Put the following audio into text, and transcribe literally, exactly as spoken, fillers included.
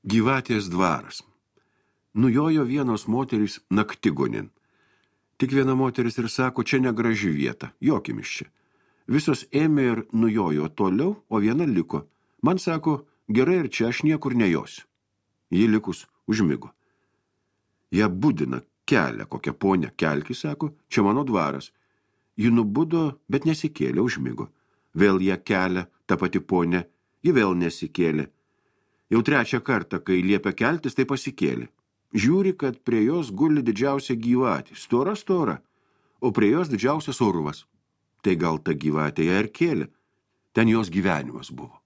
Gyvatės dvaras. Nujojo vienos moterys naktigonin. Tik viena moteris ir sako, čia negraži vieta, jokim iš čia. Visos ėmė ir nujojo toliau, o viena liko. Man sako, gerai ir čia aš niekur nejosiu. Ji likus užmigo. Ja budina, kelia kokią ponę, kelki, sako, čia mano dvaras. Ji nubudo, bet nesikėlė, užmigo. Vėl ją kelia, ta pati ponė, ji vėl nesikėlė. Jau trečią kartą, kai liepia keltis, tai pasikėlė. Žiūri, kad prie jos guli didžiausia gyvatė, stora stora, o prie jos didžiausias urvas. Tai gal ta gyvatė ją ir kėlė. Ten jos gyvenimas buvo.